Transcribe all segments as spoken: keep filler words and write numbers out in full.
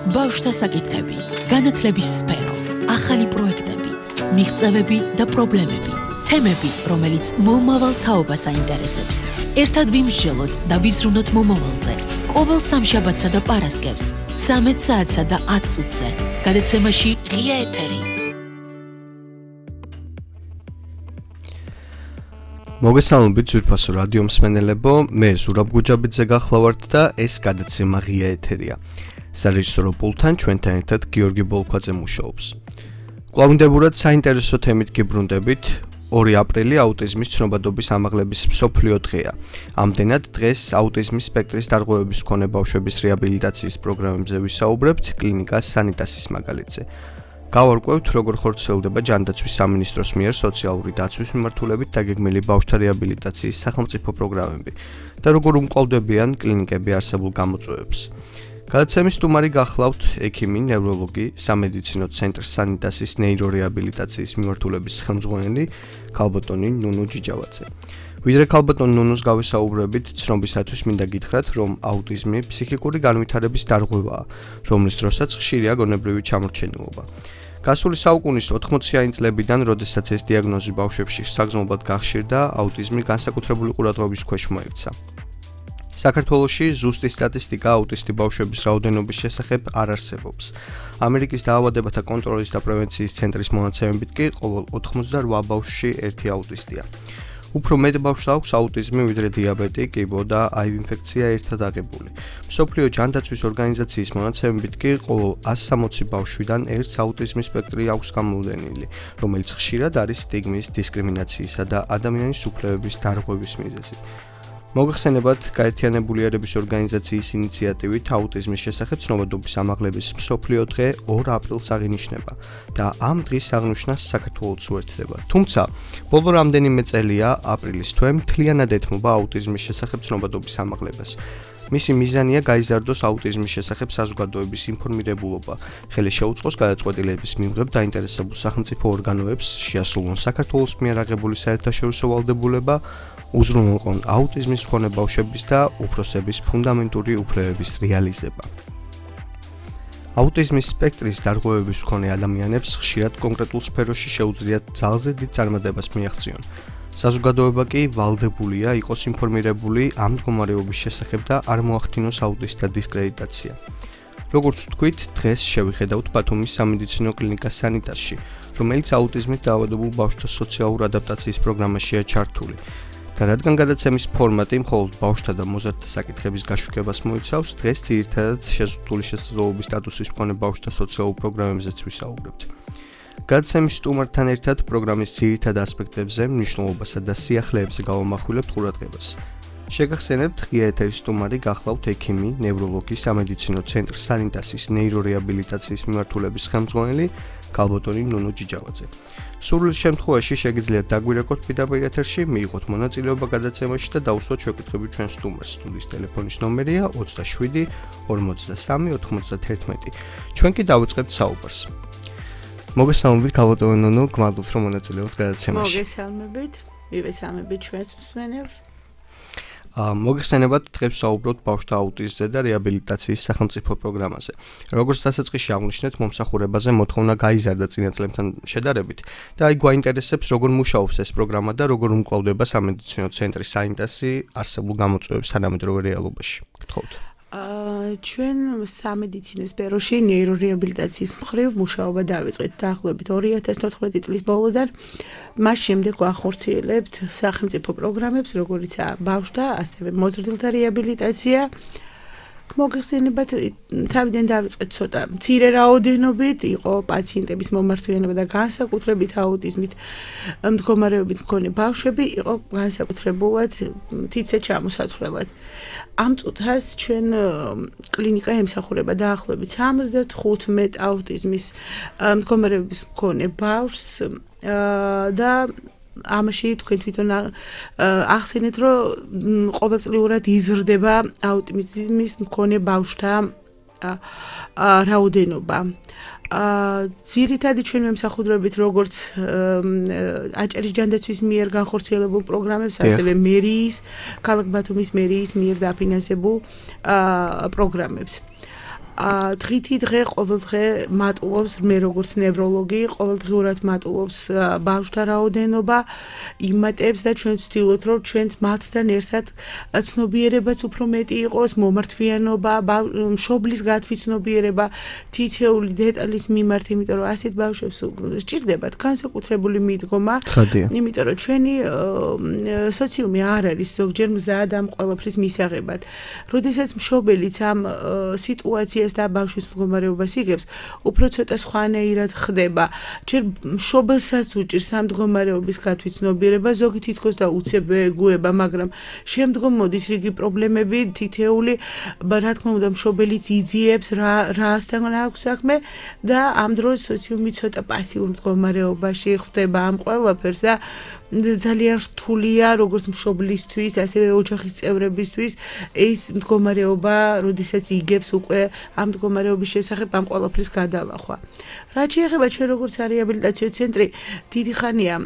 ბავშვთა საკითხები, განათლების სფერო, ახალი პროექტები, მიღწევები და პრობლემები, თემები, რომელიც მომავალ თაობას აინტერესებს. ერთად ვიმსჯელოთ და ვიზრუნოთ მომავალზე. ყოველ სამშაბათსა და პარასკევს, ცამეტ საათსა და ათ წუთზე. გადაცემაში ღია ეთერი. მოგესალმებით ძვირფასო რადიო მსმენელებო, მე ზურაბ გუჯაბიძე გახლავართ და ეს გადაცემა ღია ეთერია. სარეჟისორო პულტთან ჩვენთან ერთად გიორგი ბოლქვაძე მუშაობს. კვლავინდებურად საინტერესო თემით გიბრუნდებით. ორი აპრილი აუტიზმის ცნობადობის ამაღლების მსოფლიო დღეა. ამდენად დღეს აუტიზმის სპექტრის დარღვევების მქონე ბავშვების რეაბილიტაციის პროგრამებზე ვისაუბრებთ კლინიკა სანიტასის მაგალითზე. გავარკვევთ, როგორ ხორციელდება ჯანდაცვის სამინისტროს მიერ სოციალური დაცვის მიმართულებით დაგეგმილი ბავშვთა რეაბილიტაციის სახელმწიფო პროგრამები და როგორ უმკლავდებიან კლინიკები არსებულ გამოწვევებს. გადაცემის სტუმარი გახლავთ ექიმი, ნევროლოგი, სამედიცინო ცენტრ სანიტასის ნეირორეაბილიტაციის მიმართულების ხელმძღვანელი ქალბატონი ნუნუ ჯიჯავაძე. ვიდრე ქალბატონ ნუნუს გავისაუბრებით, ცნობისათვის მინდა გითხრათ, რომ აუტიზმი ფსიქიკური განვითარების დარღვევაა, რომლის დროსაც ხშირია გონებრივი ჩამორჩენილობა. გასული საუკუნის ოთხმოციანი წლებიდან, როდესაც ეს დიაგნოზი ბავშვებში საგრძნობლად გახშირდა, აუტიზმი განსაკუთრებული ყურადღების ქვეშ მოექცა. საქართველოში ზუსტი სტატისტიკა აუტისტი ბავშვების რაოდენობის შესახებ არ არსებობს. ამერიკის დაავადებათა კონტროლის და პრევენციის ცენტრის მონაცემებით კი ყოველ ოთხმოცდარვა ბავშვში ერთი აუტისტია. უფრო მეტ ბავშვს აქვს აუტიზმი, ვიდრე დიაბეტი, კიბო და აივ ინფექცია ერთად აღებული. მსოფლიო ჯანდაცვის ორგანიზაციის მონაცემებით კი ყოველ ასი სამოცი ბავშვიდან ერთს აუტიზმის სპექტრი აქვს გამოვლენილი, რომელიც ხშირად არის სტიგმის, დისკრიმინაციისა და ადამიანის უფლებების დარღვევის მიზეზი. მოგეხსენებათ, გაერთიანებული ერების ორგანიზაციის ინიციატივით აუტიზმის შესახებ ცნობადობის ამაღლების მსოფლიო დღე ორ აპრილს აღინიშნება და ამ დღის აღნიშვნას საქართველოც უერთდება. თუმცა, ბოლო რამდენიმე წელია აპრილის თვე მთლიანად ეთმობა აუტიზმის შესახებ ცნობადობის ამაღლებას. მისი მიზანია გაიზარდოს აუტიზმის შესახებ საზოგადოების ინფორმირებულობა, ხელი შეუწყოს გადაწყვეტილების მიმღებ დაინტერესებულ სახელმწიფო ორგანოებს, შეასრულონ საქართველოს მიერ აღებული საერთაშორისო ვალდებულება, უზრუნველყონ აუტიზმის მქონე ბავშვების და უფროსების ფუნდამენტური უფლებების რეალიზება. აუტიზმის სპექტრის დარღვევების მქონე ადამიანებს ხშირად კონკრეტულ სფეროში შეუძლიათ ძალზე დიდ წარმატებას მიაღწიონ. საზოგადოება კი ვალდებულია იყოს ინფორმირებული ამ მდგომარეობის შესახებ და არ მოახდინოს აუტისტთა დისკრედიტაცია. როგორც ვთქვით, დღეს შევიხედავთ ბათუმის სამედიცინო კლინიკა სანიტასში, რომელიც აუტიზმით დაავადებულ ბავშვთა სოციალურ ადაპტაციის პროგრამაშია ჩართული. და რადგან გადაცემის ფორმატი მხოლოდ ბავშვთა და მოზარდთა საკითხების გაშუქებას მოიცავს, დღეს ძირითადად შეზღუდული შესაძლებლობის სტატუსის მქონე ბავშვთა სოციალურ პროგრამებზეც ვისაუბრებთ. გადაცემის სტუმართან ერთად პროგრამის ძირითად ასპექტებზე, მნიშვნელობასა და სიახლეებზე გავამახვილებთ ყურადღებას. შეგახსენებთ, ღია ეთერის სტუმარი გახლავთ ექიმი, ნევროლოგი, სამედიცინო ცენტრ სანიტასის ნეირორეაბილიტაციის მიმართულების ხელმძღვანელი ქალბატონი ნუნუ ჯიჯავაძე. სრულ შემთხვევაში შეგიძლიათ დაგვირეკოთ პირდაპირ ეთერში, მიიღოთ მონაწილეობა გადაცემაში და დაუსვათ შეკვეთები ჩვენ სტუმარს. სტუდიის ტელეფონის ნომერია ოცდაშვიდი ორმოცდასამი ოთხმოცდაათერთმეტი. ჩვენ კი დავიწყებთ საუბარს. მოგესალმებით ქალბატონო ნუნუ, გმადლობთ რომ მონაწილეობთ გადაცემაში. მოგესალმებით, მივესალმებით ჩვენს მსმენელს. მოგეხსენებათ, დღეს საუბრობთ ბავშვთა აუტიზმზე და რეაბილიტაციის სახელმწიფო პროგრამაზე. როგორც დასაწყისში აღნიშნეთ, მომსახურებაზე მოთხოვნა გაიზარდა წინა წლებთან შედარებით და აი გვაინტერესებს, როგორ მუშაობს ეს პროგრამა და როგორ უმკლავდება სამედიცინო ცენტრი სანიტასი არსებულ გამოწვევებს თანამედროვე რეალობაში. გთხოვთ. ჩვენ სამედიცინო სფეროში ნეირორეაბილიტაციის მხრივ მუშაობა დავიწყეთ დაახლოებით ორი ათას თოთხმეტი წლის ბოლოდან. მას შემდეგ ვახორციელებთ სახელმწიფო პროგრამებს, როგორიცაა ბავშვთა, ასევე მოზრდილთა რეაბილიტაცია. მოგეხსენებათ, თავიდან დავიწყეთ ცოტა მცირე რაოდენობით, იყო პაციენტების მომართვიანება და განსაკუთრებით აუტიზმით მდგომარეობით მქონე ბავშვები იყო განსაკუთრებულად თითზე ჩამოსათვლელად. ამ წუთას ჩვენ კლინიკა ემსახურება დაახლოებით სამოცდათხუთმეტ აუტიზმის მდგომარეობის მქონე ბავშვს და ამაში თქვენ თვითონ ახსენეთ, რომ ყოველწლიურად იზრდება აუტიზმის მქონე ბავშვთა რაოდენობა. ძირითადად ჩვენ ვემსახურებით როგორც აჭარის ჯანდაცვის მიერ განხორციელებულ პროგრამებს, ასევე მერიის, ქალაქ ბათუმის მერიის მიერ დაფინანსებულ პროგრამებს. დღითი დღე ყოველდღე მატულობს მე როგორც ნევროლოგი, ყოველდღიურად მატულობს ბავშვთა რაოდენობა, იმატებს და ჩვენ ვცდილობთ რომ ჩვენც მათთან ერთად ცნობიერებაც უფრო მეტი იყოს, მომართვიანობა, მშობლის გათვითცნობიერება, თითეული დეტალის მიმართ, იმიტომ რომ ასეთ ბავშვებს სჭირდებათ განსაკუთრებული მიდგომა, იმიტომ რომ ჩვენი სოციუმი არ არის ზოგჯერ მზად ამ ყველაფრის მისაღებად. როდესაც მშობელიც ამ სიტუაციას და ბავშვის მდგომარეობას იგებს, უფრო ცოტა სხვანაირად ხდება. ჯერ მშობელსაც უჭირს ამ მდგომარეობის გათვითცნობიერება, ზოგი თითქოს და უცებ ეგუება, მაგრამ შემდგომ მოდის რიგი პრობლემები, თითეული, რა თქმა უნდა, მშობელიც იძიებს რა რასთან აქვს საქმე და ამ დროს სოციუმი ცოტა პასიურ მდგომარეობაში ხვდება ამ ყველაფერს და ძალიან რთულია როგორც მშობლისთვის, ასევე ოჯახის წევრებისთვის ეს მდგომარეობა, როდესაც იგებს უკვე ამ მდგომარეობის შესახებ ამ ყველაფრის გადალახვა. რაც შეეხება ჩვენ როგორც რეაბილიტაციო ცენტრი, დიდი ხანია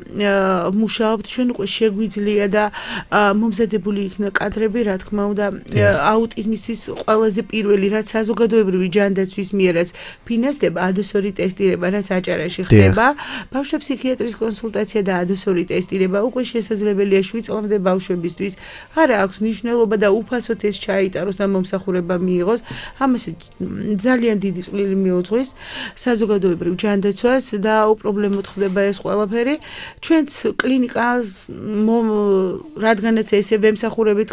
მუშაობთ, ჩვენ უკვე შეგვიძლია და მომზადებული იქნა კადრები, რა თქმა უნდა, აუტიზმისთვის ყველაზე პირველი, რაც საზოგადოებრივი ჯანდაცვის მიერაც ფინანსდება, ადოსორი ტესტირება, რაც აჭარაში ხდება, ბავშვთა ფსიქიატრის კონსულტაცია და ადოსორი ტესტირება უკვე შესაძლებელია შვიდ წლამდე ბავშვებისთვის. არა აქვს მნიშვნელობა და უფასოდ ეს ჩაიტაროს და მომსახურება მიიღოს. ამას ძალიან დიდი წვლილი მიუძღვის საზოგადოებრივ ჯანდაცვას და უპრობლემოდ ხდება ეს ყველაფერი. ჩვენც კლინიკა რადგანაც ესე ვემსახურებით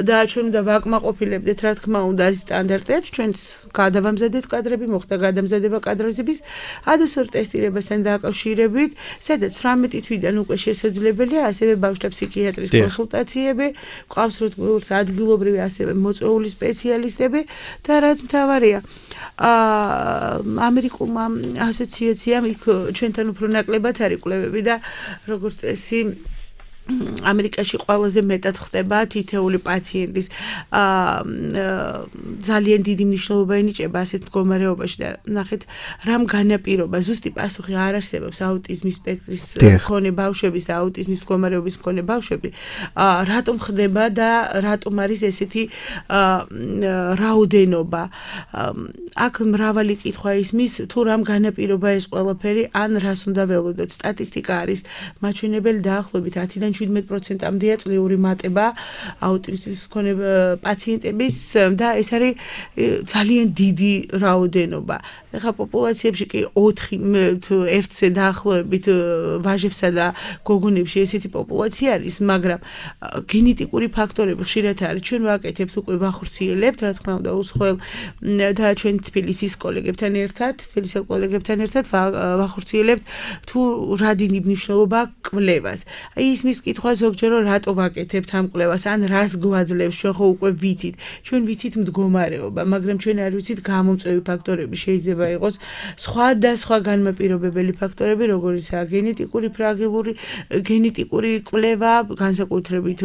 და ჩვენ უნდა ვაკმაყოფილებდეთ რა თქმა უნდა სტანდარტებს, ჩვენც გადავამზადეთ კადრები, მოხდა გადამზადება კადრების ადოსორ ტესტირებასთან დაკავშირებით, სადაც თვრამეტი თვიდან უკვე შესაძლებელია ასევე ბავშვთა ფსიქიატრის კონსულტაციები, გვყავს როგორც ადგილობრივი ასევე მოწვეული სპეციალისტები და რაც მთავარია, ამერიკულმა ასოციაციამ იქ ჩვენთან უფრო ნაკლებად არის კვლევები და როგორც წესი ამერიკაში ყველაზე მეტად ხდება თითეული პაციენტის ძალიან დიდი მნიშვნელობა ენიჭება ასეთ მდგომარეობაში და ნახეთ რამ განაპირობა ზუსტი პასუხი არ არსებობს აუტიზმის სპექტრის მქონე ბავშვების და აუტიზმის მდგომარეობის მქონე ბავშვები რატომ ხდება და რატომ არის ესეთი რაოდენობა აქ მრავალი კითხვა ისმის თუ რამ განაპირობა ეს ყველაფერი ან რას უნდა ველოდოთ სტატისტიკა არის მაჩვენებელი დაახლოებით ათიდან შვიდმეტ პროცენტამდეა წლიური მატება აუტიზმის მქონე პაციენტების და ეს არის ძალიან დიდი რაოდენობა. ეხლა პოპულაციებში კი ოთხი ერთზე დაახლოებით ვაჟებსა და გოგონებში ესეთი პოპულაცია არის, მაგრამ გენეტიკური ფაქტორები ხშირად არის. ჩვენ ვაკეთებთ უკვე ვახორციელებთ, რა თქმა უნდა, უსხელ და ჩვენ თბილისის კოლეგებთან ერთად, თბილისელ კოლეგებთან ერთად ვახორციელებთ თუ რა დიდი მნიშვნელობა კვლევას. აი ისმის კითხვა ზოგჯერ რატო ვაკეთებთ ამ კვლევას, ან რას გვაძლევს, ჩვენ ხო უკვე ვიცით. ჩვენ ვიცით მდგომარეობა, მაგრამ ჩვენ არ ვიცით გამომწვევი ფაქტორები, შეიძლება იყოს სხვადასხვა განმაპირობებელი ფაქტორები, როგორიცაა გენეტიკური ფრაგილური, გენეტიკური კვლევა, განსაკუთრებით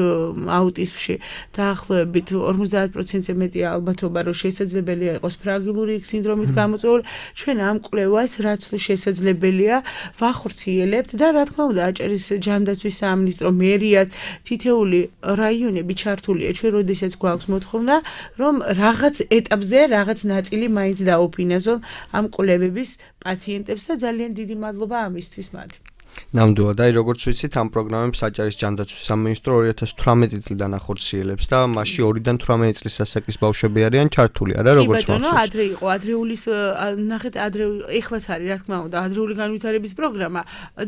აუტიზმში დაახლოებით ორმოცდაათ პროცენტზე მეტი ალბათობა, რომ შესაძლებელია იყოს ფრაგილური სინდრომით გამოწვეული. ჩვენ ამ კვლევას რაც თუ შესაძლებელია, ვახორციელებთ და რა თქმა უნდა, აჭარის ჯანდაცვის სამინისტრო მერიად თითეული რაიონები ჩართულია. ჩვენ როდესაც გვაქვს მოთხოვნა, რომ რაღაც ეტაპზე რაღაც ნაწილი მაინც დაუფინანსონ ამ კვლევების პაციენტებს და ძალიან დიდი მადლობა ამისთვის მათ. ნამდვილად, აი როგორც ვიცით, ამ პროგრამებს აჭარის ჯანდაცვის სამინისტრო ორი ათას თვრამეტი წლიდან ახორციელებს და მასში ორიდან თვრამეტი წლის ასაკის ბავშვები არიან ჩართული, არა როგორც მახსოვს. კი ბატონო, ადრე იყო, ადრეულის ნახეთ, ადრე ეხლაც არის, რა თქმა უნდა, ადრეული განვითარების პროგრამა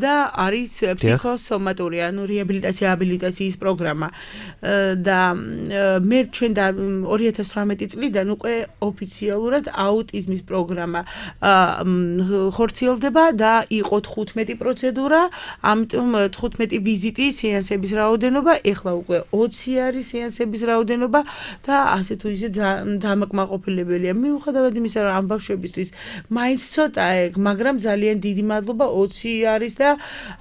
და არის ფსიქოსომატური, ანუ რეაბილიტაცია აბილიტაციის პროგრამა. და მე ჩვენ და ორი ათას თვრამეტი წლიდან უკვე ოფიციალურად აუტიზმის პროგრამა ხორციელდება და იყო თხუთმეტი პროცედურა. ამიტომ თხუთმეტი ვიზიტი სეანსების რაოდენობა, ეხლა უკვე ოცი არის სეანსების რაოდენობა და ასე თუ ისე დამაკმაყოფილებელია. მიუხედავად იმისა, რომ ამ ბავშვებისთვის მაინც ცოტაა ეგ, მაგრამ ძალიან დიდი მადლობა ოცი არის და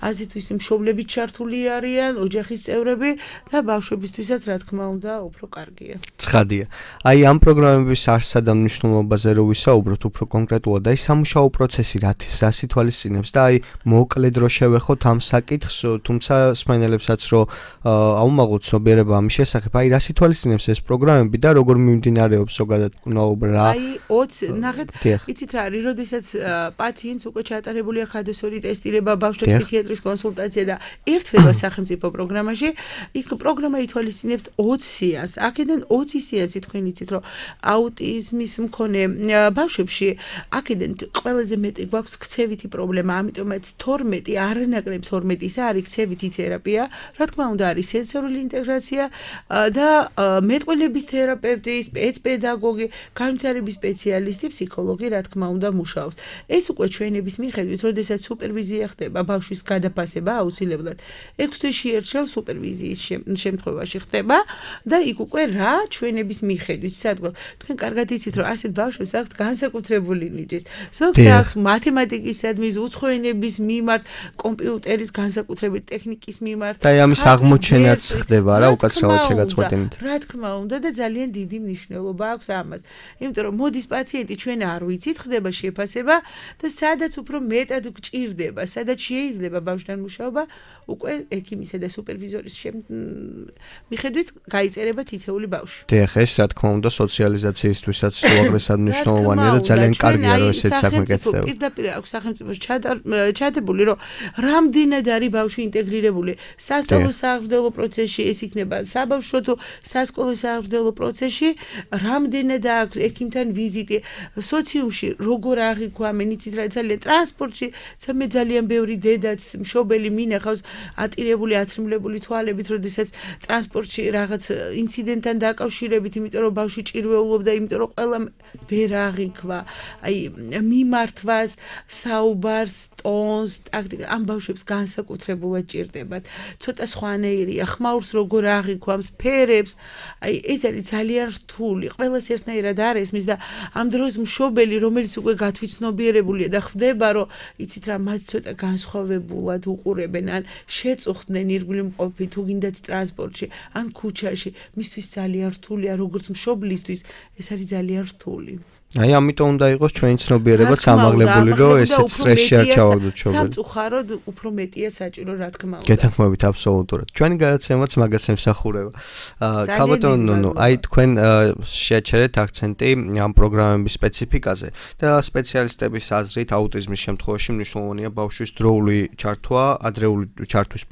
ასე თუ ისე მშობლები ჩართული არიან, ოჯახის წევრები და ბავშვებისთვისაც რა თქმა უნდა უფრო კარგია. ცხადია. აი ამ პროგრამების არსად და მნიშვნელობაზე რო ვისაუბროთ უფრო კონკრეტულად, აი სამუშაო პროცესი რას ითვალისწინებს და აი მოკლედ რო შევეხოთ ამ საკითხს, თუმცა სმენელებსაც რომ აუმაღლოთ ცნობიერება ამის შესახებ, აი რას ითვალისწინებს ეს პროგრამები და როგორ მიმდინარეობს ზოგადად კვნაობა? აი ოცი ნახეთ, იცით რა არის, როდესაც პაციენტს უკვე ჩატარებული აქვს ადოსორი ტესტირება, ბავშვთა ფსიქიატრის კონსულტაცია და ერთვება სახელმწიფო პროგრამაში, იქ პროგრამა ითვალისწინებს ოცი სიას. აქედან ოცი სიასი თქვენ იცით, რომ აუტიზმის მქონე ბავშვებში აქედან ყველაზე მეტი გვაქვს ქცევითი პრობლემა, ამიტომაც თორმეტი, არანაკლებ თორმეტი ისა არის ქცევითი თერაპია, რა თქმა უნდა არის სენსორული ინტეგრაცია და მეტყველების თერაპევტი, სპეცპედაგოგი, განვითარების სპეციალისტი, ფსიქოლოგი, რა თქმა უნდა მუშაობს. ეს უკვე ჩვენების მიხედვით, როდესაც სუპერვიზია ხდება, ბავშვის გადაფასება აუცილებლად ექვს თვეში ერთხელ სუპერვიზიის შემთხვევაში ხდება და იქ უკვე რა ჩვენების მიხედვით, სადგო თქვენ კარგად იცით, რომ ასეთ ბავშვებს აქვთ განსაკუთრებული ნიჭის. ზოგს აქვს მათემატიკისადმი, უცხო ენების მიმართ, კომპიუტერის განსაკუთრებული ტექნიკის მიმართ. და ამის აღმოჩენაც ხდება რა, უკაცრავად შეგაწყვეტინეთ. რა თქმა უნდა და ძალიან დიდი მნიშვნელობა აქვს ამას. იმიტომ რომ მოდის პაციენტი, ჩვენ არ ვიცით, ხდება შეფასება და სადაც უფრო მეტად გჭირდება, სადაც შეიძლება ბავშვთან მუშაობა, უკვე ექიმისა და სუპერვიზორის მიხედვით გაიწერება თითეული ბავშვი. დიახ, ეს რა თქმა უნდა სოციალიზაციისთვისაც უაღრესად მნიშვნელოვანია და ძალიან კარგია რომ ესეც საქმე გეცდება. პირდაპირ აქვს სახელმწიფოს ჩადებული, რომ რამდენად არის ბავშვი ინტეგრირებული სასწავლო საღვთო პროცესში, ეს იქნება საბავშვო თუ სასკოლო საღვთო პროცესში, რამდენად აქვს ექიმთან ვიზიტი, სოციუმში როგორ აღიქვამენ, იცით რა, ძალიან ტრანსპორტში, მე ძალიან ბევრი დედაც მშობელი მინახავს ატირებული, აცრიმლებული თვალებით, როდესაც ტრანსპორტში რაღაც ინციდენტთან დაკავშირებით, იმიტომ რომ ბავშვი ჭირვეულობდა, იმიტომ რომ ყველა ვერ აღიქვა, აი მიმართვას, საუბარს, ტონს, ტაქტიკას, ამ ბავშვებს განსაკუთრებულად ჭირდებათ. ცოტა სხვანაირია, ხმაურს როგორ აღიქვამს, ფერებს, აი ეს არის ძალიან რთული, ყველას ერთნაირად არ ესმის და ამ დროს მშობელი, რომელიც უკვე გათვითცნობიერებულია და ხვდება, რომ იცით რა, მას ცოტა განსხვავებულად უყურებენ, ან შეწუხდნენ ირგვლივ მყოფი, თუ გინდათ ტრანსპორტში, ან ქუჩაში, მისთვის ძალიან რთულია, როგორც მშობლისთვის, ეს არის ძალიან რთული. აი ამიტომ უნდა იყოს ჩვენი ცნობიერება სამაღლებული, რომ ესეც სტრესში არ ჩავარდოთ შობელი. სამწუხაროდ უფრო მეტია საჭირო, რა თქმა უნდა. გეთანხმებით აბსოლუტურად. ჩვენი გადაცემაც მაგას ემსახურება. ქალბატონო, აი თქვენ შეაჩერეთ აქცენტი ამ პროგრამების სპეციფიკაზე და სპეციალისტების აზრით აუტიზმის შემთხვევაში მნიშვნელოვანია ბავშვის დროული ჩართვა, ადრეული ჩართვის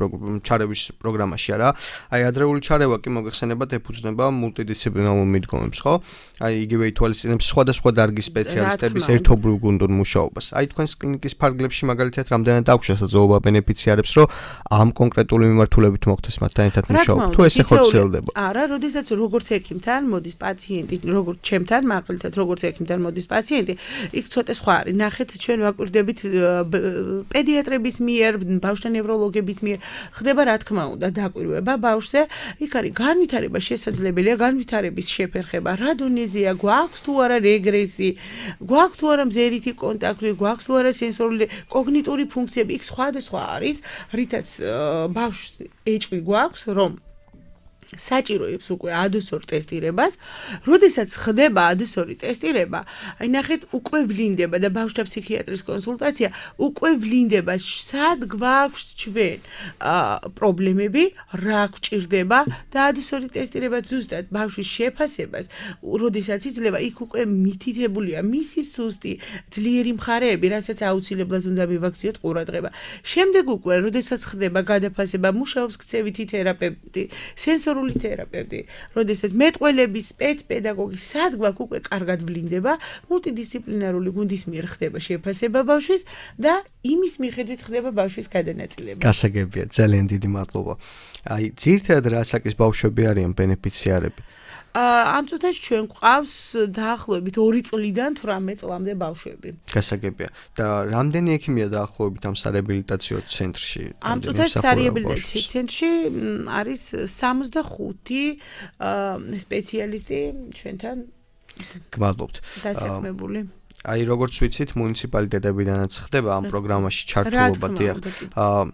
ჩარევის პროგრამაში არა. აი ადრეული ჩარევა კი მოგეხსენებათ ეფუძნება მულტიდისციპლინარულ მიდგომებს, ხო? აი იგივე ითვალისწინებს სხვადასხვა დარგის სპეციალისტების ერთობლივ გუნდურ მუშაობას. აი თქვენს კლინიკის ფარგლებში მაგალითად რამდენად აქვს შესაძლებლობა ბენეფიციარებს, რომ ამ კონკრეტული მიმართულებით მოხდეს მათთან ერთად მუშაობა. თუ ესე ხორციელდება. არა, როდესაც როგორც ექიმთან მოდის პაციენტი, როგორც ჩემთან, მაგალითად როგორც ექიმთან მოდის პაციენტი, იქ ცოტა სხვა არის. ნახეთ, ჩვენ ვაკვირდებით პედიატრების მიერ, ბავშვთა ნევროლოგების მიერ, ხდება რა თქმა უნდა დაკვირვება ბავშვზე. იქ არის განვითარება შესაძლებელია, განვითარების შეფერხება, რა დონეზეა, გვაქვს თუ არა რეგრესი, გვაქვს თუ არა მზერითი კონტაქტი, გვაქვს თუ არა სენსორული, კოგნიტური ფუნქციები, იქ სხვადასხვა არის, რითაც ბავშვს ეჭვი გვაქვს, რომ საჭიროებს უკვე ადოსორ ტესტირებას, როდესაც ხდება ადოსორი ტესტირება, აი ნახეთ, უკვე ვლინდება და ბავშვთა ფსიქიატრის კონსულტაცია უკვე ვლინდება, სად გვაქვს ჩვენ პრობლემები, რა გვჭირდება და ადოსორი ტესტირება ზუსტად ბავშვის შეფასებას, როდესაც იძლევა, იქ უკვე მითითებულია მისი სუსტი, ძლიერი მხარეები, რასაც აუცილებლად უნდა მივაქციოთ ყურადღება. შემდეგ უკვე, როდესაც ხდება გადაფასება, მუშაობს ქცევითი თერაპევტი, სენსორული თერაპევტი, როდესაც მეტყველების სპეცპედაგოგი სად გვაქვს უკვე კარგად ვლინდება, მულტიდისციპლინარული გუნდის მიერ ხდება შეფასება ბავშვის და იმის მიხედვით ხდება ბავშვის გადანაწილება. გასაგებია, ძალიან დიდი მადლობა. აი, ძირითადად რა ასაკის ბავშვები არიან ბენეფიციარები? ამ წუთაში ჩვენ გვყავს დაახლოებით ორი წლიდან თვრამეტ წლამდე ბავშვები. გასაგებია. და რამდენი ექიმია დაახლოებით ამ სარეაბილიტაციო ცენტრში? ამ წუთაში სარეაბილიტაციო ცენტრში არის სამოცდახუთი სპეციალისტი ჩვენთან გმადლობთ. დასაქმებული. აი როგორც ვიცით, მუნიციპალიტეტებიდანაც ხდება ამ პროგრამაში ჩართულობა, დიახ.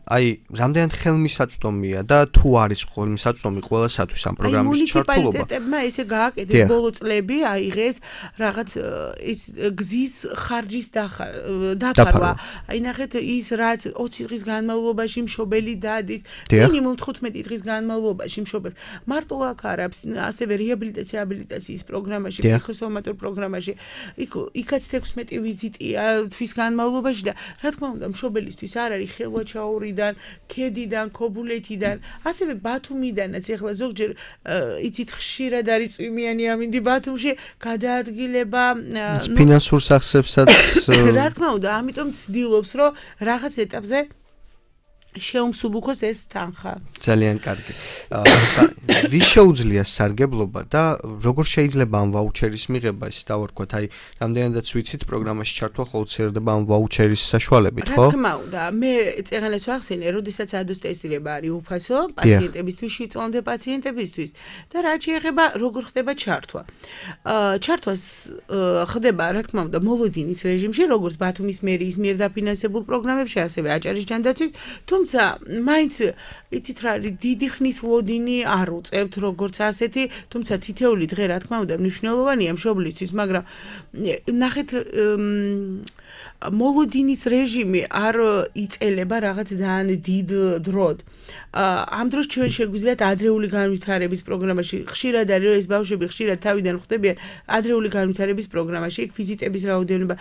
აი, რამდენად ხელმისაწვდომია და თუ არის ხელმისაწვდომი ყველასათვის ამ პროგრამაში ჩართულობა? აი, მუნიციპალიტეტებმა ესე გააკეთეს ბოლო წლები, აიღეს რაღაც ის გზის ხარჯის დაფარვა. აი, ნახეთ ის რაც ოცი დღის განმავლობაში მშობელი დადის, მინიმუმ თხუთმეტი დღის განმავლობაში მშობელს. მარტო აქ არა, ასევე რეაბილიტაცია აბილიტაციის პროგრამაში, ფსიქოსომატურ პროგრამაში, იქ იქაც ექვსმეტი ვიზიტია თვის განმავლობაში და რა თქმა უნდა მშობელისთვის არ არის ხელვაჩაურიდან, ქედიდან, ქობულეთიდან, ასევე ბათუმიდანაც ეხლა ზოგჯერ იცით ხშირად არის წვიმიანი ამინდი ბათუმში გადაადგილება ფინანსურ სახსებსაც რა თქმა უნდა ამიტომ ცდილობს რომ რაღაც ეტაპზე შეუმსუბუქოს ეს თანხა. ძალიან კარგი. ვის შეუძლია სარგებლობა და როგორ შეიძლება ამ ვაუჩერის მიღება, ის დავარქვათ, აი, რამდენადაც ვიცით, პროგრამაში ჩართვა ხორციელდება ამ ვაუჩერის საშუალებით, ხო? რა თქმა უნდა, მე წეგანას ვახსენე, როდესაც ადოს ტესტირება არის უფასო პაციენტებისთვის, შვიდწლამდე პაციენტებისთვის და რაც შეეხება როგორ ხდება ჩართვა. ჩართვას ხდება, რა თქმა უნდა, მოლოდინის რეჟიმში, როგორც ბათუმის მერიის მიერ დაფინანსებულ პროგრამებში, ასევე აჭარის ჯანდაცვის, თუმცა მაინც იცით რა არის დიდი ხნის ლოდინი არ უწევთ როგორც ასეთი, თუმცა თითეული დღე რა თქმა უნდა მნიშვნელოვანია მშობლისთვის, მაგრამ ნახეთ მოლოდინის რეჟიმი არ იწელება რაღაც ძალიან დიდ დროდ. ამ დროს ჩვენ შეგვიძლიათ ადრეული განვითარების პროგრამაში ხშირად არის რომ ეს ბავშვები ხშირად თავიდან ხვდებიან ადრეული განვითარების პროგრამაში, იქ ვიზიტების რაოდენობა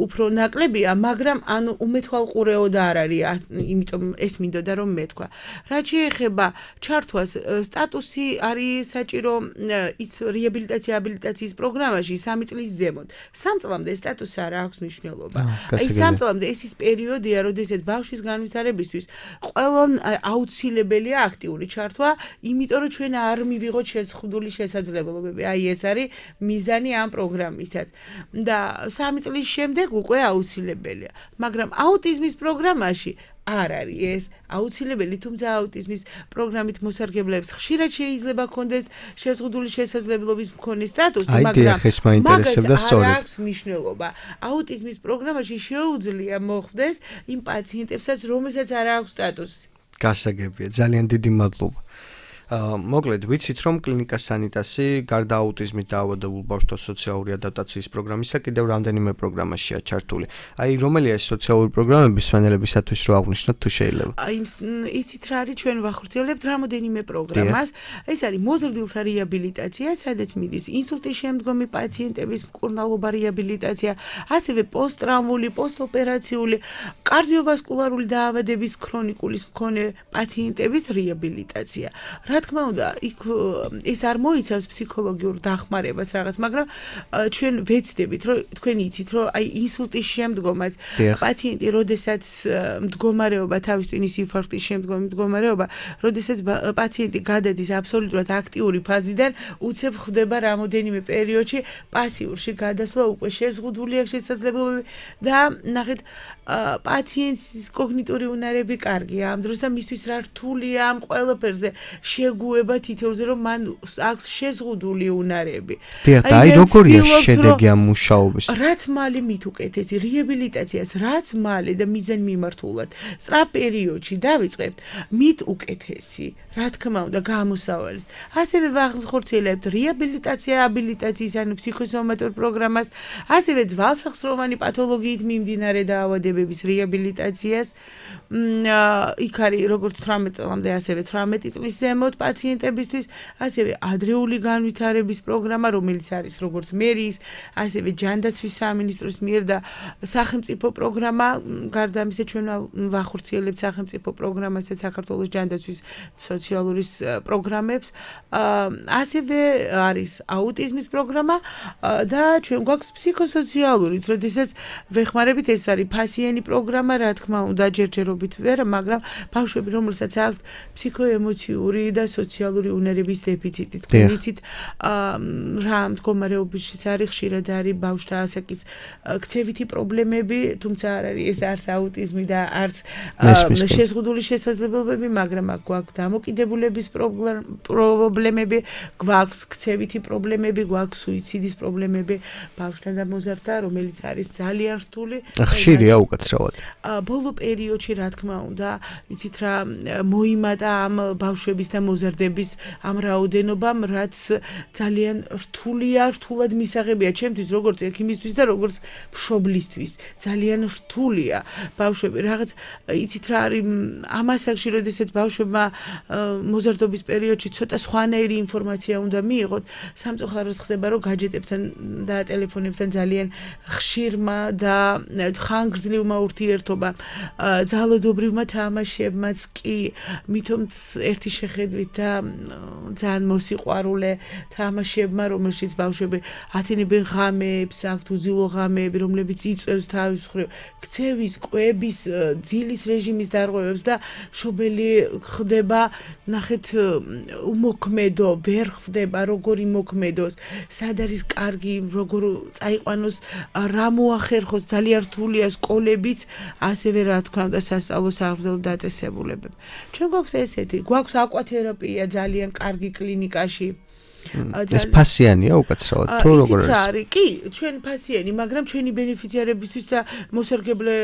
უფრო ნაკლებია, მაგრამ ანუ უმეთვალყურეოდ არ არის, იმიტომ ეს მინდოდა რომ მეთქვა. რაც შეეხება ჩართვას, სტატუსი არის საჭირო ის რეაბილიტაცია აბილიტაციის პროგრამაში სამი წლის ზემოთ. სამ წლამდე სტატუსი არ აქვს მნიშვნელობა. აი სამ წლამდე ეს ის პერიოდია, როდესაც ბავშვის განვითარებისთვის ყველა აუცილებელია აქტიური ჩართვა, იმიტომ რომ ჩვენ არ მივიღოთ შეზღუდული შესაძლებლობები. აი ეს არის მიზანი ამ პროგრამისაც. და სამი წლის შემდეგ უკვე აუცილებელია. მაგრამ აუტიზმის პროგრამაში არ არის ეს აუცილებელი, თუმცა აუტიზმის პროგრამით მოსარგებლეებს ხშირად შეიძლება კონდეს შეზღუდული შესაძლებლობის მქონე სტატუსი, მაგრამ მაგას არ აქვს მნიშვნელობა. აუტიზმის პროგრამაში შეუძლია მოხდეს იმ პაციენტებსაც, რომელსაც არ აქვს სტატუსი. გასაგებია, ძალიან დიდი მადლობა. მოკლედ, ვიცით რომ კლინიკა სანიტასი გარდა აუტიზმით დაავადებულ ბავშვთა სოციალური ადაპტაციის პროგრამისა კიდევ რამდენიმე პროგრამაშია ჩართული. აი, რომელია ეს სოციალური პროგრამები სვენელებისათვის რო აღნიშნოთ თუ შეიძლება? აი, იცით რა არის, ჩვენ ვახორციელებთ რამოდენიმე პროგრამას. ეს არის მოზრდილთა რეაბილიტაცია, სადაც მიდის ინსულტის შემდგომი პაციენტების მკურნალობა რეაბილიტაცია, ასევე პოსტტრავმული, პოსტოპერაციული, კარდიოვასკულარული დაავადების ქრონიკული მქონე პაციენტების რეაბილიტაცია. რა თქმა უნდა, იქ ეს არ მოიცავს ფსიქოლოგიურ დახმარებას რაღაც, მაგრამ ჩვენ ვეცდებით, რომ თქვენ იცით, რომ აი ინსულტის შემდგომაც პაციენტი, როდესაც მდგომარეობა თავის ტვინის ინფარქტის შემდგომი მდგომარეობა, როდესაც პაციენტი გადადის აბსოლუტურად აქტიური ფაზიდან, უცებ ხდება რამოდენიმე პერიოდში პასიურში გადასვლა, უკვე შეზღუდული აქვს შესაძლებლობები და ნახეთ პაციენტის კოგნიტური უნარები კარგია ამ დროს და მისთვის რა რთულია ამ ყველაფერზე შეგუება თითოეულზე, რომ მან აქვს შეზღუდული უნარები. დიახ, აი როგორია შედეგი ამ მუშაობის? რაც მალე მით უკეთესი რეაბილიტაციას, რაც მალე და მიზანმიმართულად სწრაფ პერიოდში დავიწყებთ, მით უკეთესი, რა თქმა უნდა, გამოსავალით. ასევე ვახორციელებთ რეაბილიტაცია, აბილიტაციის, ანუ ფსიქოსომატურ პროგრამას, ასევე ძვალსახსროვანი პათოლოგიით მიმდინარე დაავადებების რეაბილიტაციას. იქ არის როგორც თვრამეტ წლამდე, ასევე თვრამეტი წლის ზემოთ პაციენტებისთვის, ასევე ადრეული განვითარების პროგრამა, რომელიც არის როგორც მერიის, ასევე ჯანდაცვის სამინისტროს მიერ და სახელმწიფო პროგრამა, გარდა ამისა ჩვენ ვახორციელებთ სახელმწიფო პროგრამასაც საქართველოს ჯანდაცვის სოციალური პროგრამებს, ასევე არის აუტიზმის პროგრამა და ჩვენ გვაქვს ფსიქოსოციალურიც, როდესაც ვეხმარებით, ეს არის ფასიანი პროგრამა, რა თქმა უნდა, ჯერჯერობით ვერ, მაგრამ ბავშვები, რომელსაც აქვს ფსიქოემოციური და სოციალური უნარების დეფიციტი. თქვენ იცით რა მდგომარეობაშიც არის ხშირად არის ბავშვთა ასაკის ქცევითი პრობლემები, თუმცა არ არის ეს არც აუტიზმი და არც შეზღუდული შესაძლებლობები, მაგრამ გვაქვს დამოკიდებულების პრობლემები, გვაქვს ქცევითი პრობლემები, გვაქვს სუიციდის პრობლემები ბავშვთა და მოზარდთა, რომელიც არის ძალიან რთული. ხშირია უკაცრავად. ბოლო პერიოდში რა თქმა უნდა, იცით რა მოიმატა ამ ბავშვების და მოზარდების ამ რაოდენობამ, რაც ძალიან რთულია, რთულად მისაღებია ჩემთვის, როგორც ექიმისთვის და როგორც მშობლისთვის. ძალიან რთულია ბავშვები. რაღაც იცით რა არის ამ ასაკში, როდესაც ბავშვებმა მოზარდობის პერიოდში ცოტა სხვანაირი ინფორმაცია უნდა მიიღოთ, სამწუხაროდ ხდება, რომ გაჯეტებთან და ტელეფონებთან ძალიან ხშირმა და ხანგრძლივმა ურთიერთობა ძალადობრივმა თამაშებმაც კი მithom ერთი შეხედვით და ძალიან მოსიყვარულე თამაშებმა, რომელშიც ბავშვები ათენებენ ღამეებს, აქვთ უძილო ღამეები, რომლებიც იწვევს თავის მხრივ ქცევის, კვების, ძილის რეჟიმის დარღვევებს და მშობელი ხდება ნახეთ უმოქმედო, ვერ ხდება როგორ იმოქმედოს, სად არის კარგი, როგორ წაიყვანოს, რა მოახერხოს, ძალიან რთულია სკოლებიც, ასევე რა თქმა უნდა სასწავლო საღვთო დაწესებულებები. ჩვენ გვაქვს ესეთი, გვაქვს აკვათერაპია ძალიან კარგი კლინიკაში. ეს ფასიანია უკაცრავად თუ როგორ არის? არის, კი, ჩვენ ფასიანი, მაგრამ ჩვენი ბენეფიციარებისთვის და მოსარგებლე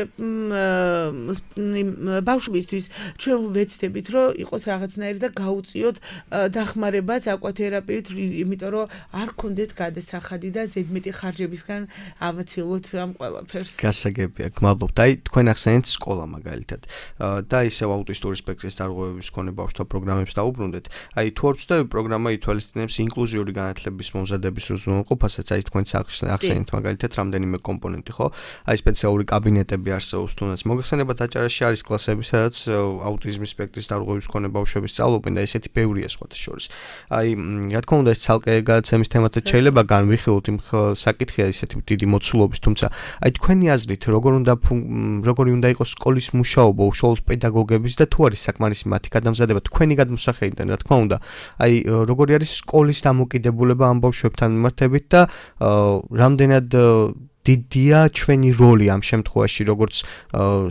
ბავშვებისთვის ჩვენ ვეცდებით, რომ იყოს რაღაცნაირი და გაუწიოთ დახმარებაც აკვათერაპიით, იმიტომ რომ არ გქონდეთ გადასახადი და ზედმეტი ხარჯებისგან ავაცილოთ ამ ყველაფერს. გასაგებია, გმადლობთ. აი, თქვენ ახსენეთ სკოლა მაგალითად და ისევ აუტისტური სპექტრის დარღვევების მქონე ბავშვთა პროგრამებს დაუბრუნდეთ. აი, თუ არ ვცდები, პროგრამა ითვალისწინებს ინკლუზიური განათლების მომზადების უზრუნველყოფასაც, აი თქვენ ახსენეთ მაგალითად რამდენიმე კომპონენტი, ხო? აი სპეციალური კაბინეტები არსებობს, თუნდაც მოგეხსენება დაჭერაში არის კლასები, სადაც აუტიზმის სპექტრის დარღვევის მქონე ბავშვები სწავლობენ და ესეთი ბევრია სხვათა შორის. აი, რა თქმა უნდა, ეს ცალკე გადაცემის თემათაც შეიძლება განვიხილოთ, იმ საკითხია ისეთი დიდი მოცულობის, თუმცა აი თქვენი აზრით, როგორ უნდა როგორი უნდა იყოს სკოლის მუშაობა, უშუალოდ პედაგოგების და თუ არის საკმარისი მათი გადამზადება თქვენი გადმოსახედიდან, რა თქმა უნდა, აი როგორი არის სკოლის დამოკიდებულება ამ ბავშვებთან მიმართებით და რამდენად დიდია ჩვენი როლი ამ შემთხვევაში, როგორც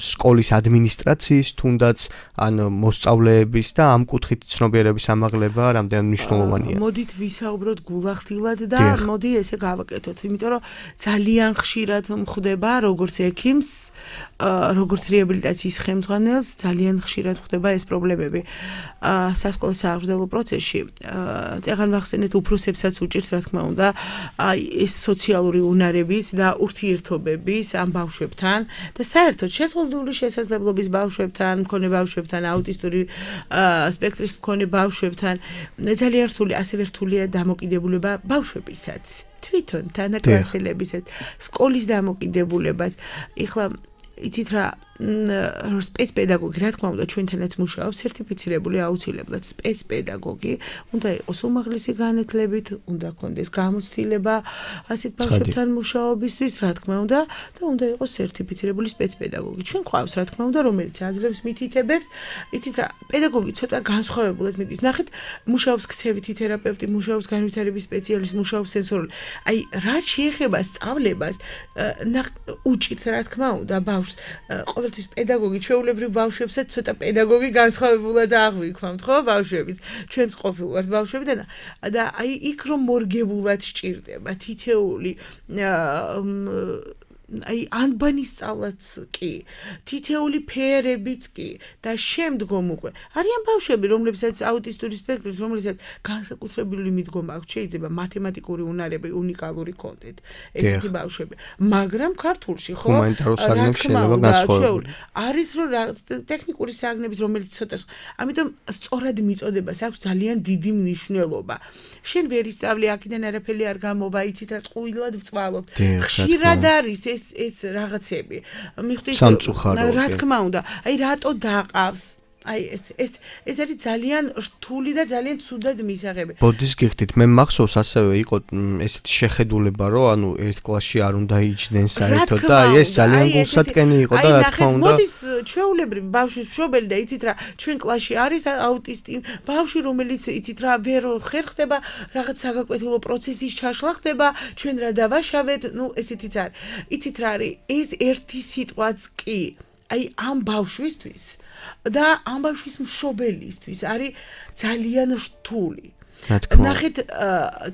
სკოლის ადმინისტრაციის, თუნდაც ან მოსწავლეების და ამ კუთხით ცნობიერების ამაღლება რამდენად მნიშვნელოვანია. მოდით ვისაუბროთ გულახდილად და მოდი ესე გავაკეთოთ, იმიტომ რომ ძალიან ხშირად მხდება როგორც ექიმს, როგორც რეაბილიტაციის ხელმძღვანელს, ძალიან ხშირად ხდება ეს პრობლემები სასკოლო სააღრდელო პროცესში. წეგან ვახსენეთ უფროსებსაც უჭირთ, რა თქმა უნდა, ეს სოციალური უნარების და ურთიერთობების ამ ბავშვებთან და საერთოდ შეზღუდული შესაძლებლობის ბავშვებთან, მქონე ბავშვებთან, აუტისტური სპექტრის მქონე ბავშვებთან ძალიან რთული, ასევე რთულია დამოკიდებულება ბავშვებისაც, თვითონ თანაკლასელებისაც, სკოლის დამოკიდებულებაც. ეხლა იცით რა სპეცპედაგოგი, რა თქმა უნდა, ჩვენთანაც მუშაობს სერტიფიცირებული აუცილებლად სპეცპედაგოგი, უნდა იყოს უმაღლესი განათლებით, უნდა ქონდეს გამოცდილება ასეთ ბავშვებთან მუშაობისთვის, რა თქმა უნდა, და უნდა იყოს სერტიფიცირებული სპეცპედაგოგი. ჩვენ გვყავს, რა თქმა უნდა, რომელიც აძლევს მითითებებს, იცით რა, პედაგოგი ცოტა განსხვავებულად მიდის. ნახეთ, მუშაობს ქცევითი თერაპევტი, მუშაობს განვითარების სპეციალისტი, მუშაობს სენსორული. აი, რაც შეეხება სწავლებას, უჭირთ, რა თქმა უნდა, ბავშვს ყოველთვის პედაგოგი ჩვეულებრივ ბავშვებსაც ცოტა პედაგოგი განსხვავებულად აღვიქვამთ, ხო, ბავშვების. ჩვენც ყოფილ ვართ ბავშვები და და აი იქ რომ მორგებულად სჭირდება თითეული აი ანბანის სწავლაც კი, თითეული ფერებიც კი და შემდგომ უკვე არიან ბავშვები, რომლებსაც აუტისტური სპექტრით, რომლებსაც განსაკუთრებული მიდგომა აქვს, შეიძლება მათემატიკური უნარები უნიკალური კონტენტ, ესეთი ბავშვები, მაგრამ ქართულში ხო ჰუმანიტარულ საგნებს შეიძლება განსხვავებული. არის რომ რაღაც ტექნიკური საგნების, რომელიც ცოტა, ამიტომ სწორად მიწოდებას აქვს ძალიან დიდი მნიშვნელობა. შენ ვერ ისწავლი, აქედან არაფერი არ გამოვა, იცით რა ტყუილად ვწვალობ. ხშირად არის ეს ეს რაღაცები. მიხვდით რა თქმა უნდა, აი რატო დაყავს? აი ეს ეს ეს არის ძალიან რთული და ძალიან ცუდად მისაღები. ბოდის გიხდით, მე მახსოვს ასევე იყო ესეთი შეხედულება, რომ ანუ ერთ კლასში არ უნდა იჯდნენ საერთოდ და აი ეს ძალიან გულსატკენი იყო და რა თქმა უნდა. მოდის ჩვეულებრივი ბავშვის მშობელი და იცით რა, ჩვენ კლასში არის აუტისტი ბავშვი, რომელიც იცით რა, ვერ ხერხდება, რაღაც საგაკვეთილო პროცესის ჩაშლა ხდება, ჩვენ რა დავაშავეთ, ну ესეთიც არის. იცით რა არის, ეს ერთი სიტყვაც კი, აი ამ ბავშვისთვის და ამ ბავშვის მშობელისთვის არის ძალიან რთული. ნახეთ,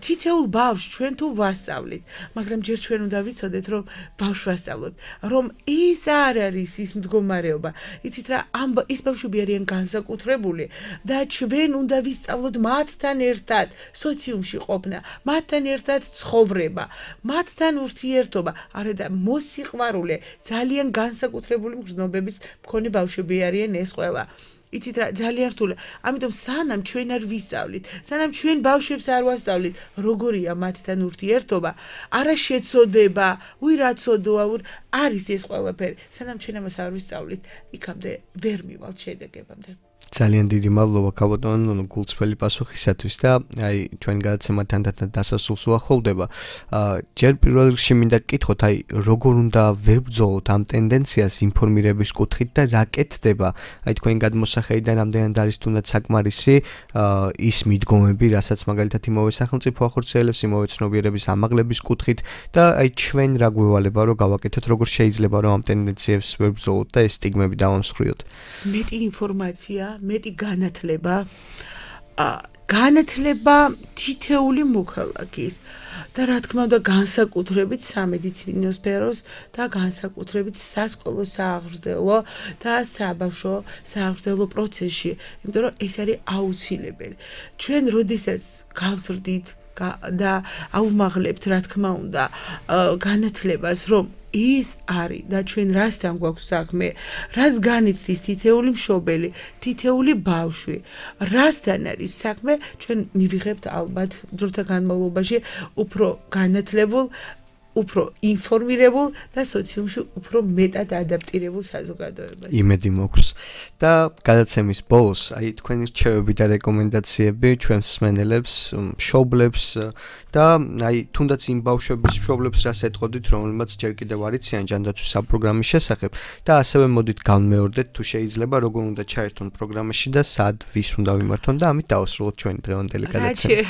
თითოეულ ბავშვს ჩვენ თუ ვასწავლით, მაგრამ ჯერ ჩვენ უნდა ვიცოდეთ, რომ ბავშვს ვასწავლოთ, რომ ის არ არის ის მდგომარეობა. იცით რა, ამ ის ბავშვები არიან განსაკუთრებული და ჩვენ უნდა ვისწავლოთ მათთან ერთად სოციუმში ყოფნა, მათთან ერთად ცხოვრება, მათთან ურთიერთობა, არა და მოსიყვარულე, ძალიან განსაკუთრებული მგრძნობების მქონე ბავშვები არიან ეს ყველა. იცით რა, ძალიან რთულია. ამიტომ სანამ ჩვენ არ ვისწავლით, სანამ ჩვენ ბავშვებს არ ვასწავლით, როგორია მათთან ურთიერთობა, არა შეცოდება, უი რა ცოდოა, არის ეს ყველაფერი. სანამ ჩვენ ამას არ ვისწავლით, იქამდე ვერ მივალთ შედეგებამდე. ძალიან დიდი მადლობა ქალბატონო გულწრფელი პასუხისათვის და აი ჩვენ გადაცემა თანდათან დასასრულს უახლოვდება. ჯერ პირველ რიგში მინდა გკითხოთ, აი როგორ უნდა ვებრძოლოთ ამ ტენდენციას ინფორმირების კუთხით და რა კეთდება? აი თქვენ გადმოსახედიდან რამდენად არის თუნდაც საკმარისი ის მიდგომები, რასაც მაგალითად იმავე სახელმწიფო ახორციელებს იმავე ცნობიერების ამაღლების კუთხით და აი ჩვენ რა გვევალება რომ გავაკეთოთ, როგორ შეიძლება რომ ამ ტენდენციებს ვებრძოლოთ და ეს სტიგმები დავამსხვრიოთ? მეტი ინფორმაცია, მეტი განათლება, განათლება თითეული მოქალაქის და რა თქმა უნდა განსაკუთრებით სამედიცინო სფეროს და განსაკუთრებით სასკოლო სააღრდელო და საბავშვო სააღრდელო პროცესში, იმიტომ რომ ეს არის აუცილებელი. ჩვენ როდესაც გავზრდით და ავმაღლებთ რა თქმა უნდა განათლებას, რომ ის არის და ჩვენ რასთან გვაქვს საქმე, რას განიცდის თითეული მშობელი, თითეული ბავშვი, რასთან არის საქმე, ჩვენ მივიღებთ ალბათ დროთა განმავლობაში უფრო განათლებულ, უფრო ინფორმირებულ და სოციუმში უფრო მეტად ადაპტირებულ საზოგადოებას. იმედი მოგვს. და გადაცემის ბოლოს, აი თქვენი რჩევები და რეკომენდაციები ჩვენს მსმენელებს, მშობლებს და აი თუნდაც იმ ბავშვების მშობლებს რას ეტყოდით, რომელმაც ჯერ კიდევ არ იციან ჯანდაცვის საპროგრამის შესახებ და ასევე მოდით განმეორდეთ თუ შეიძლება როგორ უნდა ჩაერთონ პროგრამაში და სად ვის უნდა ვიმართონ და ამით დავასრულოთ ჩვენი დღევანდელი გადაცემა.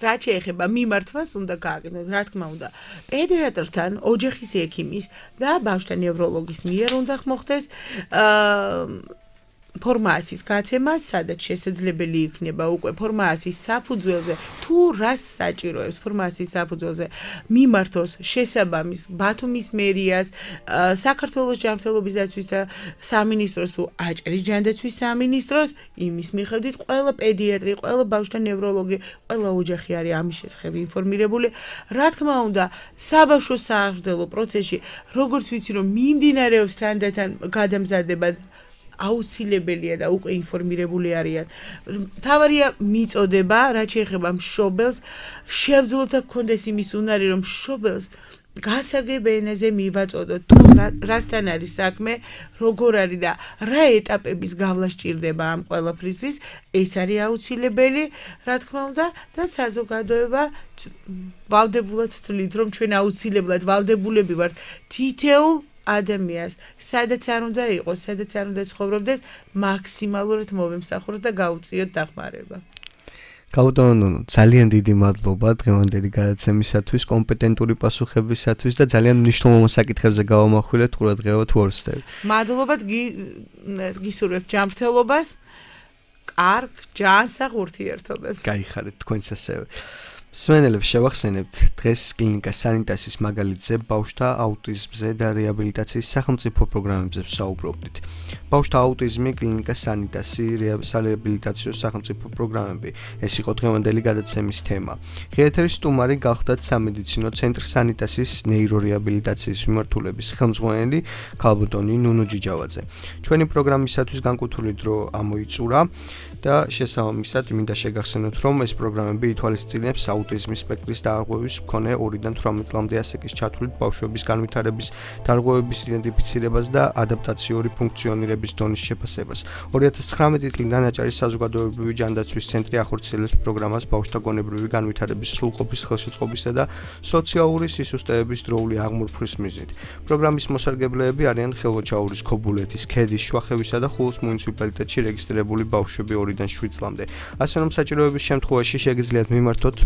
რა შეეხება მიმართვას უნდა გააკეთოთ, რა თქმა უნდა. პედიატრთან, ოჯახის ექიმის და ბავშვთა ნევროლოგის მიერ უნდა მოხდეს ფორმაციის გაცემა, სადაც შესაძლებელი იქნება უკვე ფორმაციის საფუძველზე, თუ რას საჭიროებს ფორმაციის საფუძველზე მიმართოს შესაბამის ბათუმის მერიას, საქართველოს ჯანმრთელობის დაცვის და სამინისტროს თუ აჭარის ჯანდაცვის სამინისტროს, იმის მიხედვით ყველა პედიატრი, ყველა ბავშვთა ნევროლოგი, ყველა ოჯახი არის ამის შესახებ ინფორმირებული. რა თქმა უნდა, საბავშვო სააღრდელო პროცესში, როგორც ვიცი, რომ მიმდინარეობს თანდათან გადამზადება აუცილებელია და უკვე ინფორმირებული არიან. თავარია მიწოდება, რაც შეეხება მშობელს, შევძლოთ და გქონდეს იმის უნარი, რომ მშობელს გასაგებ ენაზე მივაწოდოთ, თუ რასთან არის საქმე, როგორ არის და რა ეტაპების გავლა სჭირდება ამ ყველაფრისთვის, ეს არის აუცილებელი, რა თქმა უნდა, და საზოგადოება ვალდებულად თვლით, რომ ჩვენ აუცილებლად ვალდებულები ვართ თითოეულ ადამიანს, სადაც არ უნდა იყოს, სადაც არ უნდა ცხოვრობდეს, მაქსიმალურად მოვემსახუროთ და გავუწიოთ დახმარება. ქალბატონო, ძალიან დიდი მადლობა დღევანდელი გადაცემისათვის, კომპეტენტური პასუხებისათვის და ძალიან მნიშვნელოვან საკითხებზე გავამახვილეთ ყურადღება თუ არ ვსდები. მადლობად გისურვებთ ჯანმრთელობას, კარგ ჯანსაღ ურთიერთობებს. გაიხარეთ თქვენც ასევე. მსმენელებს შევახსენებთ დღეს კლინიკა სანიტასის მაგალითზე ბავშვთა აუტიზმზე და რეაბილიტაციის სახელმწიფო პროგრამებზე ვსაუბრობდით. ბავშვთა აუტიზმი, კლინიკა სანიტასი, რეაბილიტაციო სახელმწიფო პროგრამები. ეს იყო დღევანდელი გადაცემის თემა. ღიეთერის სტუმარი გახლდათ სამედიცინო ცენტრ სანიტასის ნეირორეაბილიტაციის მიმართულების ხელმძღვანელი ქალბატონი ნუნუ ჯიჯავაძე. ჩვენი პროგრამისათვის განკუთვნილი დრო ამოიწურა და შესაბამისად მინდა შეგახსენოთ, რომ ეს პროგრამები ითვალისწინებს აუტიზმის სპექტრის დაარღვევის მქონე ორიდან თვრამეტ წლამდე ასაკის ჩათვლით ბავშვების განვითარების დარღვევების იდენტიფიცირებას და ადაპტაციური ფუნქციონირების დონის შეფასებას. ორი ათას ცხრამეტი წლიდან აჭარის საზოგადოებრივი ჯანდაცვის ცენტრი ახორციელებს პროგრამას ბავშვთა გონებრივი განვითარების სრულყოფის ხელშეწყობისა და სოციალური სისუსტეების დროული აღმურფვის მიზნით. პროგრამის მოსარგებლეები არიან ხელვაჩაურის, ქობულეთის, ქედის, შვახევისა და ხულოს მუნიციპალიტეტში რეგისტრირებული ბავშვები ორიდან შვიდ წლამდე. ასე რომ საჭიროების შემთხვევაში შეგიძლიათ მიმართოთ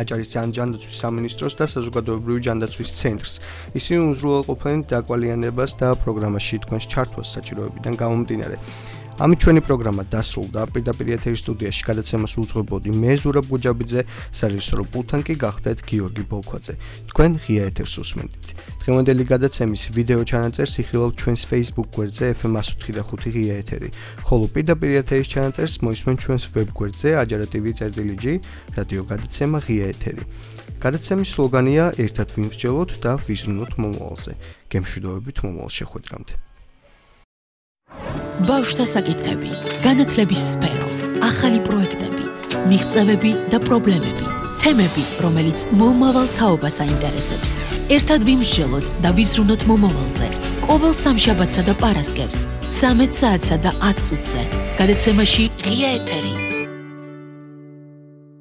აჭარის ჯანდაცვის სამინისტროს და საზოგადოებრივი ჯანდაცვის ცენტრს. ისინი უზრუნველყოფენ დაკვალიანებას და პროგრამაში თქვენს ჩართვას საჭიროებიდან გამომდინარე. ამით ჩვენი პროგრამა დასრულდა. პირდაპირ ეთერის სტუდიაში გადაცემას უძღვებოდი მე ზურაბ გუჯაბიძე, სარეჟისორო პულტთან კი გახდეთ გიორგი ბოლქვაძე. თქვენ ღია ეთერს უსმენთ. დღევანდელი გადაცემის ვიდეო ჩანაწერს იხილავთ ჩვენს Facebook გვერდზე ეფ ემ εκατო ხუთი და ხუთი ღია ეთერი, ხოლო პირდაპირ ეთერის ჩანაწერს მოისმენთ ჩვენს ვებ გვერდზე აჯარა ტივ წერტილი ჯი რადიო გადაცემა ღია ეთერი. გადაცემის სლოგანია ერთად ვიმსჯელოთ და ვიზრუნოთ მომავალზე. გემშვიდობებით მომავალ შეხვედრამდე. ბავშვთა საკითხები, განათლების სფერო, ახალი პროექტები, მიღწევები და პრობლემები, თემები, რომელიც მომავალ თაობას აინტერესებს. ერთად ვიმსჯელოთ და ვიზრუნოთ მომავალზე. ყოველ სამშაბათსა და პარასკევს, ცამეტ საათსა და ათ წუთზე. გადაცემაში ღია ეთერი.